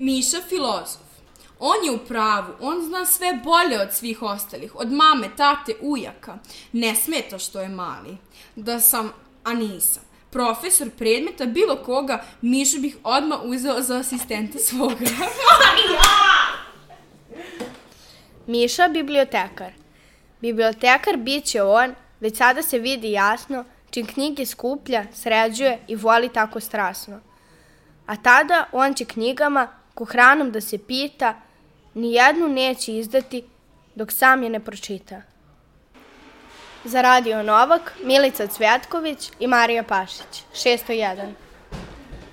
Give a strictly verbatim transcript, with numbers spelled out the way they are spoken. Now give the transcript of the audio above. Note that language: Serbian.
Miša filozof. On je u pravu, on zna sve bolje od svih ostalih, od mame, tate, ujaka. Ne smeta što je mali. Da sam, a nisam, profesor predmeta bilo koga, Mišu bih odmah uzeo za asistenta svoga. Miša bibliotekar. Bibliotekar bit će on, već sada se vidi jasno, čim knjige skuplja, sređuje i voli tako strasno. A tada on će knjigama, ko hranom da se pita, ni jednu neće izdati dok sam je ne pročita. Za Radio Novak, Milica Cvjetković i Marija Pašić, šesto jedan.